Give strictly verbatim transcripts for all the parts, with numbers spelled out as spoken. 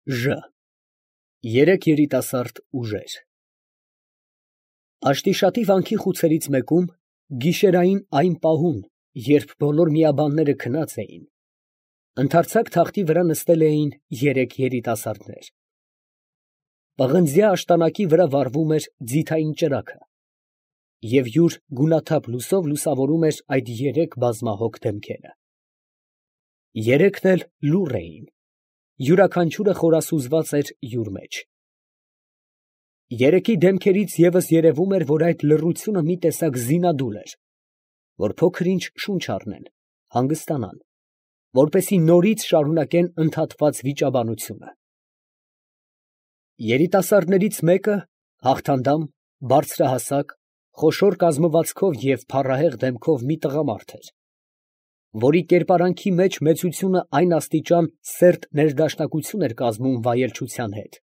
Ժ Երեք երիտասարդ ուժեր։ Աշտիշատի վանքի խուցերից մեկում, գիշերային այն պահուն, երբ բոլոր միաբանները քնած էին, ընդարձակ թախտի վրա նստել էին երեք երիտասարդներ։ Պղնձյա աշտանակի վրա վառվում էր ձիթային ճրագը, և յուր գունաթափ լուսով լուսավորում էր այդ երեք բազմահոգ դեմքերը։ Երեքն էլ լուռ էին, յուրաքանչյուրը խորասուզված էր յուր մեջ։ Երեքի դեմքերից ևս երևում էր, որ այդ լռությունը մի տեսակ զինադուլ էր, որ փոքր ինչ շունչ առնեն, հանգստանան, որպեսզի նորից շարունակեն ընդհատված վիճաբանությունը։ Երիտասարդներից մեկը հաղթանդամ, բարձրահասակ, խոշոր կազմվածքով և փառահեղ դեմքով մի տղամարդ էր, որի կերպարանքի մեջ մեծությունը այն աստիճան սերտ ներդաշնակություն էր կազմում վայելչության հետ,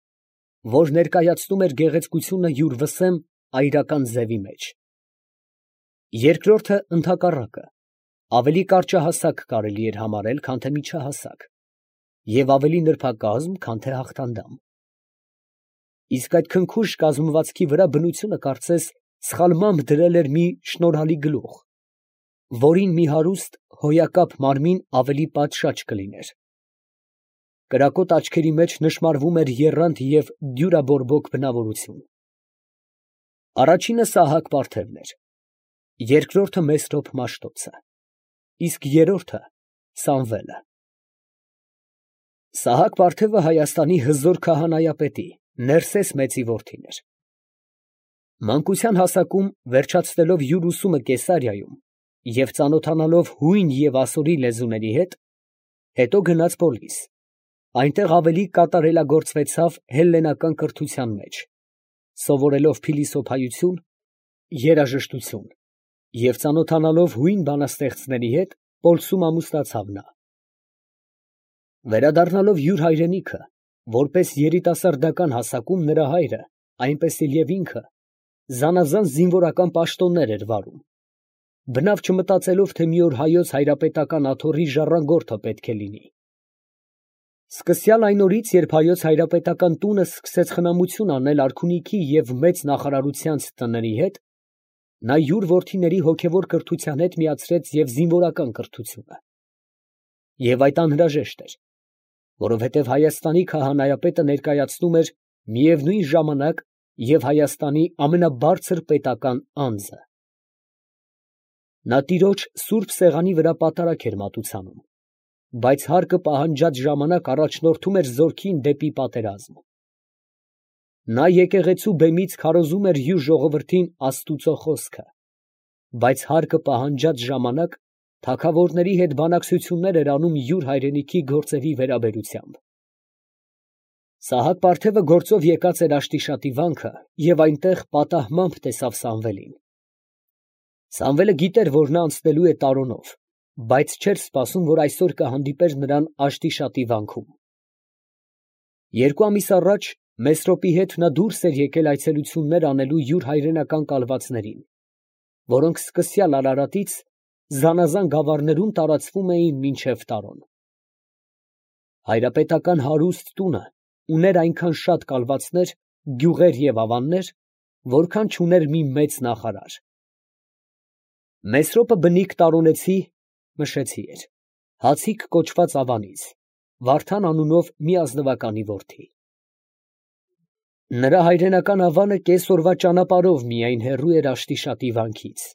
որ ներկայացնում էր գեղեցկությունը յուր վսեմ այրական ձևի մեջ։ Երկրորդը ընդհակառակը, ավելի կարճահասակ կարելի էր համարել, քան թե միջահասակ, և ավելի նրբակազմ, քան թե հաղթանդամ։ Իսկ այդ քնքուշ կազմվածքի վրա բնությունը կարծես սխալմամբ դրել էր մի շնորհալի գլուխ, որին մի հարուստ հոյակապ մարմին ավելի պատշաճ կլիներ։ Կրակոտ աչքերի մեջ նշմարվում էր եռանդ և դյուրաբորբոք բնավորություն։ Առաջինը Սահակ պարթևն էր, երկրորդը Մեսրոպ Մաշտոցը, իսկ երրորդը Սամվելը։ Սահակ պարթևը Հայաստանի հզոր քահանայապետի Ներսես մեծի որդին էր։ Մանկության հասակում, վերջացնելով յուր ուսումը Կեսարիայում և ծանոթանալով հույն և ասորի լեզուների հետ, հետո գնաց Պոլիս, այնտեղ ավելի կատարելագործվեցավ հելլենական կրթության մեջ, սովորելով փիլիսոփայություն, երաժշտություն և ծանոթանալով հույն բանաստեղծների հետ, Պոլսում ամուսնացավ նա։ Վերադառնալով յուր հայրենիքը, որպես երիտասարդական հասակում նրա հայրը, այնպես էլ և ինքը, զանազան զինվորական պաշտոններ էր վարում, բնավ չմտածելով, թե մի օր հայոց հայրապետական աթոռի ժառանգորդը պետք է լինի։ Սկսյալ այն օրից, երբ հայոց հայրապետական տունը սկսեց խնամություն անել արքունիքի և մեծ նախարարությանց տների հետ, նա յուր որդիների հոգևոր կրթության հետ միացրեց և զինվորական կրթությունը։ Եվ այդ անհրաժեշտ էր, որովհետև Հայաստանի քահանայապետը ներկայացնում էր միևնույն ժամանակ և Հայաստանի ամենաբարձր պետական անձը։ Նա տիրոջ սուրբ սեղանի վրա պատարագ էր մատուցանում, բայց հարկը պահանջած ժամանակ առաջնորդում էր զորքին դեպի պատերազմ։ Նա եկեղեցու բեմից քարոզում էր յուր ժողովրդին աստուծո խոսքը, բայց հարկը պահանջած ժամանակ թագավորների հետ բանակցություններ էր անում յուր հայրենիքի գործերի վերաբերությամբ։ Սահակ պարթևը գործով եկած էր Աշտիշատի վանքը և այնտեղ պատահմամբ տեսավ Սամվելին։ Սամվելը գիտեր, որ նա անցնելու է Տարոնով, բայց չէր սպասում, որ այսօր կհանդիպեր նրան Աշտիշատի վանքում։ Երկու ամիս առաջ Մեսրոպի հետ նա դուրս էր եկել այցելություններ անելու յուր հայրենական կալվածներին, որոնք սկսյալ Արարատից զանազան գավառներում տարածվում էին մինչև Տարոն։ Հայրապետական հարուստ տունը ուներ այնքան շատ կալվածներ, գյուղեր և ավաններ, որքան չուներ մի մեծ նախարար։ Մեսրոպը բնիկ տարոնեցի (մշեցի) էր, Հացիկ կոչված ավանից, Վարդան անունով մի ազնվականի որդի։ Նրա հայրենական ավանը կեսօրվա ճանապարհով միայն հեռու էր Աշտիշատի վանքից։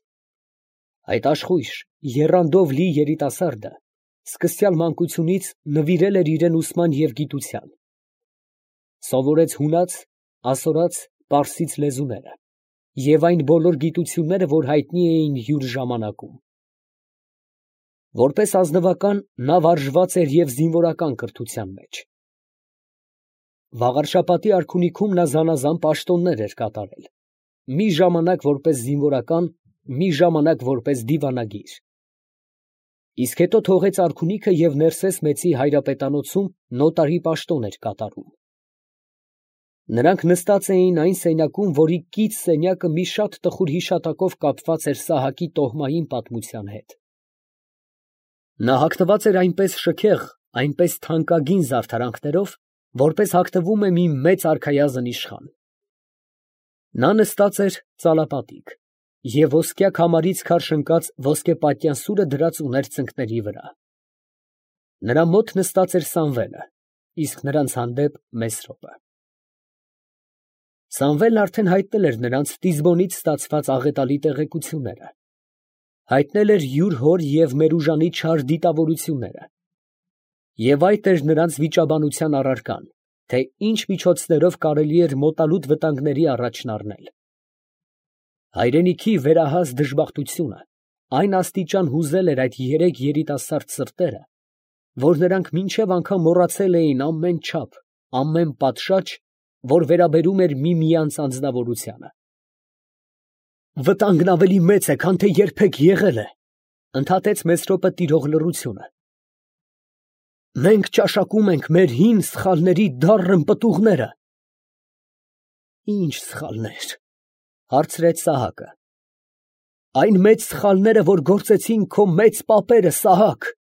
Այդ աշխույժ, եռանդով լի երիտասարդը սկսյալ մանկությունից նվիրել էր իրան ուսման և գիտության, սովորեց հունաց, ասորաց, պարսից լեզուները և այն բոլոր գիտությունները, որ հայտնի էին յուր ժամանակում։ Որպես ազնվական նա վարժված էր և զինվորական կրթության մեջ։ Վաղարշապատի արքունիքում նա զանազան պաշտոններ էր կատարել, մի ժամանակ որպես զինվորական, մի ժամանակ որպես դիվանագիր։ Իսկ հետո թողեց արքունիքը և Ներսես մեծի հայրապետանոցում նոտարի պաշտոն էր կատարում։ Նրանք նստած էին այն սենյակում, որի կից սենյակը մի շատ տխուր հիշատակով կապված էր Սահակի տոհմային պատմության հետ։ Նա հագնված էր այնպես շքեղ, այնպես թանկագին զարդարանքներով, որպես հագնվում է մի մեծ արքայազն իշխան։ Նա նստած էր ծալապատիկ և ոսկյա քամարից քարշ ընկած ոսկեպատյան սուրը դրած ուներ ծնկների վրա։ Նրա մոտ նստած էր Սամվելը, իսկ նրանց հանդեպ Մեսրոպը։ Սամվելն արդեն հայտնել էր նրանց Տիզբոնից ստացված աղետալի տեղեկությունները, հայտնել էր յուր հոր և Մերուժանի չար դիտավորությունները, և այդ էր նրանց վիճաբանության առարկան, թե ինչ միջոցներով կարելի էր մոտալուտ վտանգների առաջն առնել։ Հայրենիքի վերահաս դժբախտությունը այն աստիճան հուզել էր այդ երեք երիտասարդ սրտերը, որ նրանք մինչև անգամ մոռացել էին ամեն չափ, ամեն պատշաճ, որ վերաբերում էր միմյանց անձնավորությանը։ «Վտանգն ավելի մեծ է, քան թե երբեք եղել է», ֊ ընդհատեց Մեսրոպը տիրող լռությունը։ «Մենք ճաշակում ենք մեր հին սխալների դառն պտուղները»։ «Ի՞նչ սխալներ», ֊ հարցրեց Սահակը։ «Այն մեծ սխալները, որ գործեցին քո մեծ պապերը, Սահակ»։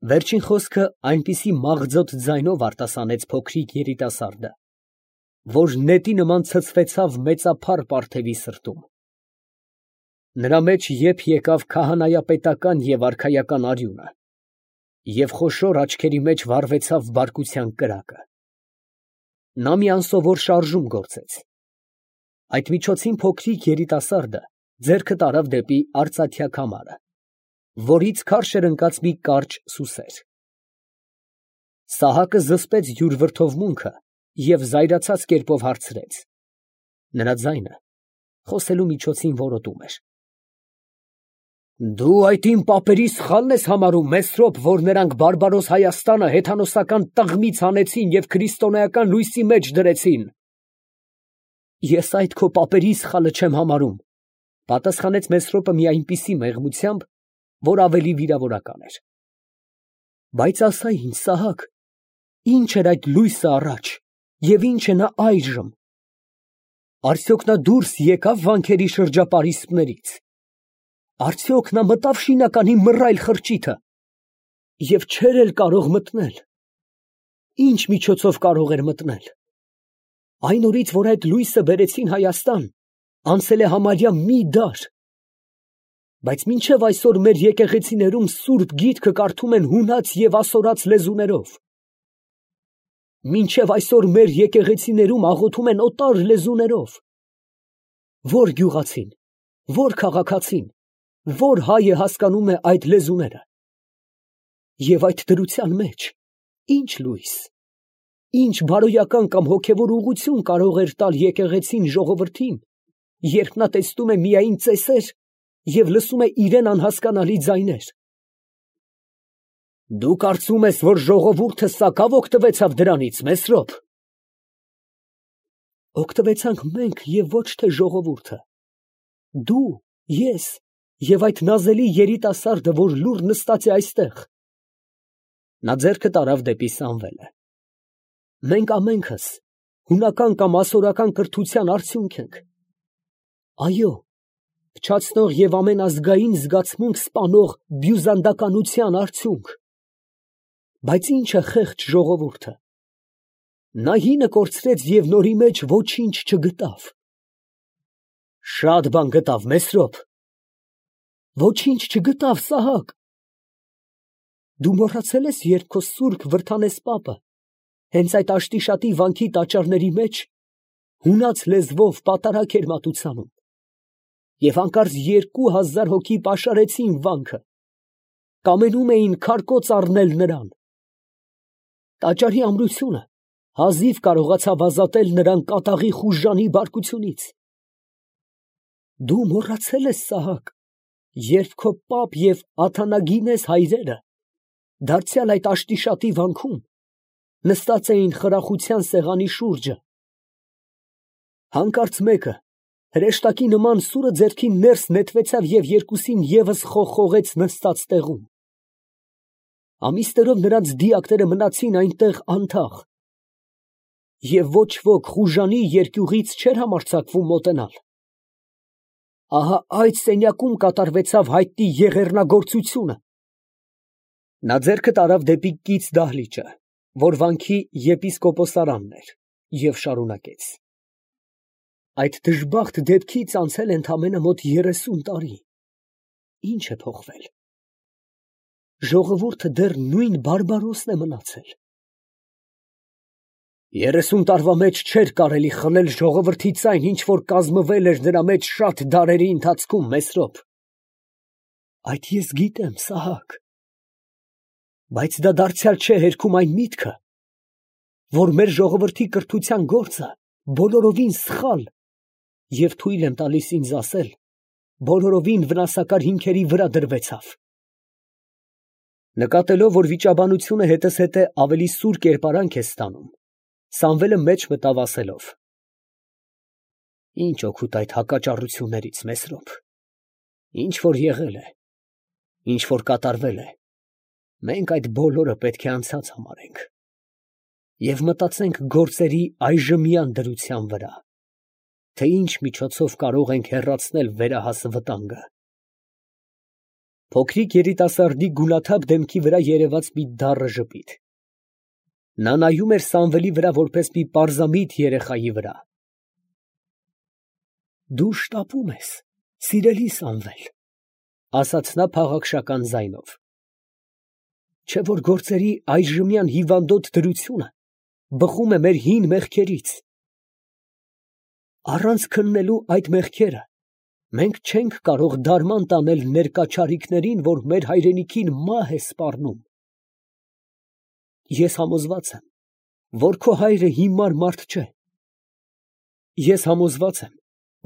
Վերջին խոսքը այնպիսի մաղձոտ ձայնով արտասանեց փոքրիկ երիտասարդը, որ նետի նման ցցվեցավ մեծափառ պարթևի սրտում։ Նրա մեջ եփ եկավ քահանայապետական և արքայական արյունը, և խոշոր աչքերի մեջ վառվեցավ բարկության կրակը։ Նա մի անսովոր շարժում գործեց։ Այդ միջոցին փոքրիկ երիտասարդը ձեռքը տարավ դեպի արծաթյա քամարը, որից քարշ էր ընկած մի կարճ սուսեր։ Սահակը զսպեց յուր վրդովմունքը և զայրացած կերպով հարցրեց. նրա ձայնը խոսելու միջոցին որոտում էր. «Դու այդ իմ պապերի սխալն ես համարում, Մեսրոպ, որ նրանք բարբարոս Հայաստանը հեթանոսական տղմից հանեցին և քրիստոնեական լույսի մեջ դրեցին»։ «Ես այդ քո պապերի սխալը չեմ համարում», ֊ պատասխանեց Մեսրոպը մի այնպիսի մեղմությամբ, որ ավելի վիրավորական էր։ «Բայց ասա ինձ, Սահակ, ի՞նչ էր այդ լույսը առաջ, և ի՞նչ է նա այժմ։ Արդյոք նա դուրս եկա՞վ վանքերի շրջապարիսպներից։ Արդյոք նա մտա՞վ շինականի մռայլ խրճիթը, և չէր էլ կարող մտնել։ Ի՞նչ միջոցով կարող էր մտնել։ Այն օրից, որ այդ լույսը բերեցին Հայաստան, անցել է համարյա մի դար։ Բայց մինչև այսօր մեր եկեղեցիներում սուրբ գիրքը կարդում են հունաց և ասորաց լեզուներով։ Մինչև այսօր մեր եկեղեցիներում աղոթում են օտար լեզուներով։ Ո՞ր գյուղացին, ո՞ր քաղաքացին, ո՞ր հայը հասկանում է այդ լեզուները։ Եվ այդ դրության մեջ ի՞նչ լույս, ի՞նչ բարոյական կամ հոգևոր ուղղություն կարող էր տալ եկեղեցին ժողովրդին, երբ նա տեսնում է միայն ծեսեր և լսում է իրան անհասկանալի ձայներ։ Դու կարծում ես, որ ժողովուրդը սակավ օգտվեցավ դրանից, Մեսրոպ։ Օգտվեցանք մենք և ոչ թե ժողովուրդը։ Դու, ես և այդ նազելի երիտասարդը, որ լուռ նստած է այստեղ։ Նա ձեռքը տարավ դեպի Սամվելը։ Մենք ամենքս հունական կամ ասորական կրթության արդյունք ենք։ Այո, փչացնող և ամենազգային զգացմունք սպանող բյուզանդականության արդյունք։ Բայց ի՞նչ է խեղճ ժողովուրդը։ Նա հինը կորցրեց և նորի մեջ ոչինչ չգտավ։ Շատ բան գտավ, Մեսրոպ։ Ոչինչ չգտավ, Սահակ։ Դու մոռացել ես, երբ քո սուրբ Վրդանես պապը հենց այդ Աշտիշատի վանքի տաճարների մեջ հունաց լեզվով պատարագ էր մատուցանում, և հանկարծ երկու հազար հոգի պաշարեցին վանքը, կամենում էին քարկոծ առնել նրան։ Տաճարի ամրությունը հազիվ կարողացավ ազատել նրան կատաղի խուժանի բարկությունից։ Դու մոռացել ես, Սահակ, երբ քո պապ և Աթանագինես հայրերը դարձյալ այդ Աշտիշատի վանքում նստած էին խրախության սեղանի շուրջը։ Հանկարծ մեկը հրեշտակի նման սուրը ձեռքին ներս նետվեցավ և երկուսին ևս խողխողեց նստած տեղում։ Ամիսներով նրանց դիակները մնացին այնտեղ անթաղ, և ոչ ոք խուժանի երկյուղից չէր համարձակվում մոտենալ։ Ահա այդ սենյակում կատարվեցավ հայտնի եղեռնագործությունը։ Նա ձեռքը տարավ դեպի կից դահլիճը, որ վանքի եպիսկոպոսարանն էր, և շարունակեց. այդ դժբախտ դեպքից անցել է ընդամենը մոտ երեսուն տարի. ի՞նչ է փոխվել. ժողովուրդը դեռ նույն բարբարոսն է մնացել. երեսուն տարվա մեջ չէր կարելի խլել ժողովրդից այն, ինչ որ կազմվել էր նրա մեջ շատ դարերի ընթացքում, Մեսրոպ. այդ ես գիտեմ, Սահակ, բայց դա դարձյալ չէ հերքում այն միտքը, որ մեր ժողովրդի կրթության գործը բոլորովին սխալ, և թույլ եմ տալիս ինձ ասել, բոլորովին վնասակար հիմքերի վրա դրվեցավ։ Նկատելով, որ վիճաբանությունը հետզհետե ավելի սուր կերպարանք է ստանում, Սամվելը մեջ մտավ ասելով. Ինչ օգուտ այդ հակաճառություններից, Մեսրոպ, ինչ որ եղել է, ինչ որ կատարվել է, մենք այդ բոլորը պետք է անցած համարենք և մտածենք գործերի այժմյան դրության վրա, թե ինչ միջոցով կարող ենք հեռացնել վերահաս վտանգը։ Փոքրիկ երիտասարդի գունաթափ դեմքի վրա երևաց մի դառը ժպիտ։ Նա նայում էր Սամվելի վրա որպես մի պարզամիտ երեխայի վրա։ Դու շտապում ես, սիրելի Սամվել, ասաց նա փաղաքշական ձայնով։ Չէ՞ որ գործերի այժմյան հիվանդոտ դրությունը բխում է մեր հին մեղքերից։ Առանց քննելու այդ մեղքերը մենք չենք կարող դարման տանել ներկա չարիքներին, որ մեր հայրենիքին մահ է սպառնում։ Ես համոզված եմ, որ քո հայրը հիմար մարդ չէ։ Ես համոզված եմ,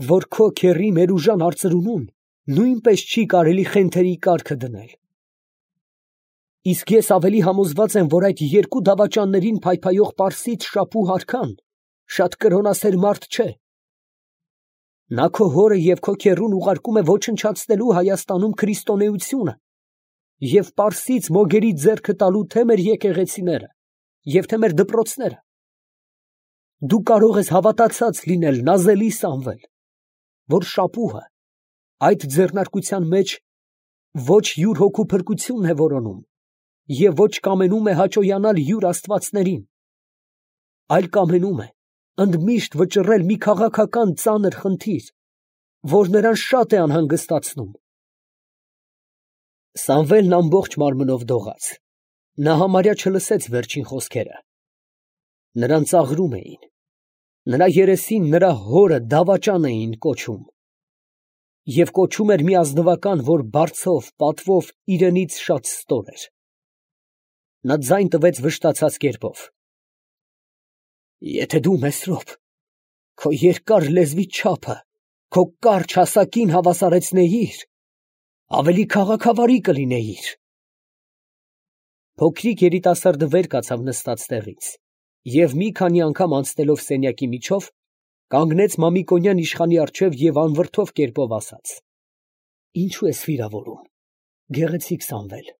որ քո քեռի Մերուժան արծրունուն նույնպես չի կարելի խենթերի կառքը դնել։ Իսկ ես ավելի համոզված եմ, որ այդ երկու դավաճաններին փայփայող պարսից շապու հարքան շատ կրոնասեր մարդ չէ։ Նա քո հորը և քո քեռուն ուղարկում է ոչնչացնելու Հայաստանում քրիստոնեությունը և պարսից մոգերի ձեռքը տալու թե մեր եկեղեցիները և թե մեր դպրոցները։ Դու կարող ես հավատացած լինել, նազելի Սամվել, որ շապուհը այդ ձեռնարկության մեջ ոչ յուր հոգու փրկությունն է որոնում և ոչ կամենում է հաճոյանալ յուր աստվածներին, այլ կամենում է ընդմիշտ վճռել մի քաղաքական ծանր խնդիր, որ նրան շատ է անհանգստացնում։ Սամվելն ամբողջ մարմնով դողաց. նա համարյա չլսեց վերջին խոսքերը։ Նրան ծաղրում էին, նրա երեսին նրա հորը դավաճան էին կոչում, և կոչում էր մի ազնվական, որ բարձով, պատվով իրենից շատ ստոր էր։ Նա ձայն տվեց վշտացած կերպով. Եթե դու, Մեսրոպ, քո երկար լեզվի չափը քո կարճ հասակին հավասարեցնեիր, ավելի քաղաքավարի կլինեիր։ Փոքրիկ երիտասարդը վեր կացավ նստած տեղից և մի քանի անգամ անցնելով սենյակի միջով, կանգնեց Մամիկոնյան իշխանի առջև և անվրդով կերպով ասաց. Ինչու ես վիրավորում, գեղեցիկ Սամվել,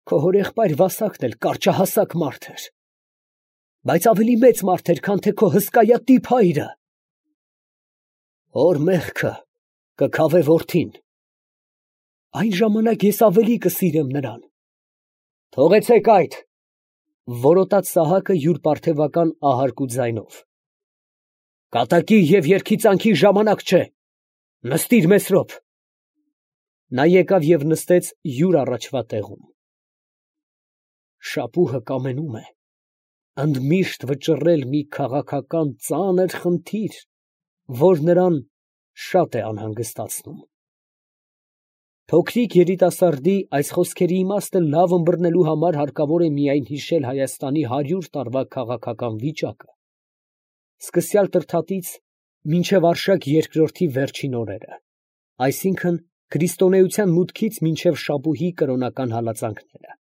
քո հորեղբայր Վասակն էլ կարճահասակ մարդ էր, բայց ավելի մեծ մարդ էր, քան թե քո հսկայատիպ հայրը։ Հոր մեղքը կքավե որդին, այն ժամանակ ես ավելի կսիրեմ նրան։ Թողեցեք այդ, որոտաց Սահակը յուր պարթևական ահարկու ձայնով։ Կատակի և երգիծանքի ժամանակ չէ, նստիր Մեսրոպ։ Նա եկավ և նստեց յուր առաջվա տեղում։ Շապուհը կամենում է ընդմիշտ վճռել մի քաղաքական ծանր խնդիր, որ նրան շատ է անհանգստացնում։ Փոքրիկ երիտասարդի այս խոսքերի իմաստը լավ ըմբռնելու համար հարկավոր է միայն հիշել Հայաստանի հարյուր տարվա քաղաքական վիճակը, սկսյալ Տրդատից մինչև Արշակ երկրորդի վերջին օրերը, այսինքն՝ քրիստոնեության մուտքից մինչև Շապուհի կրոնական հալածանքները։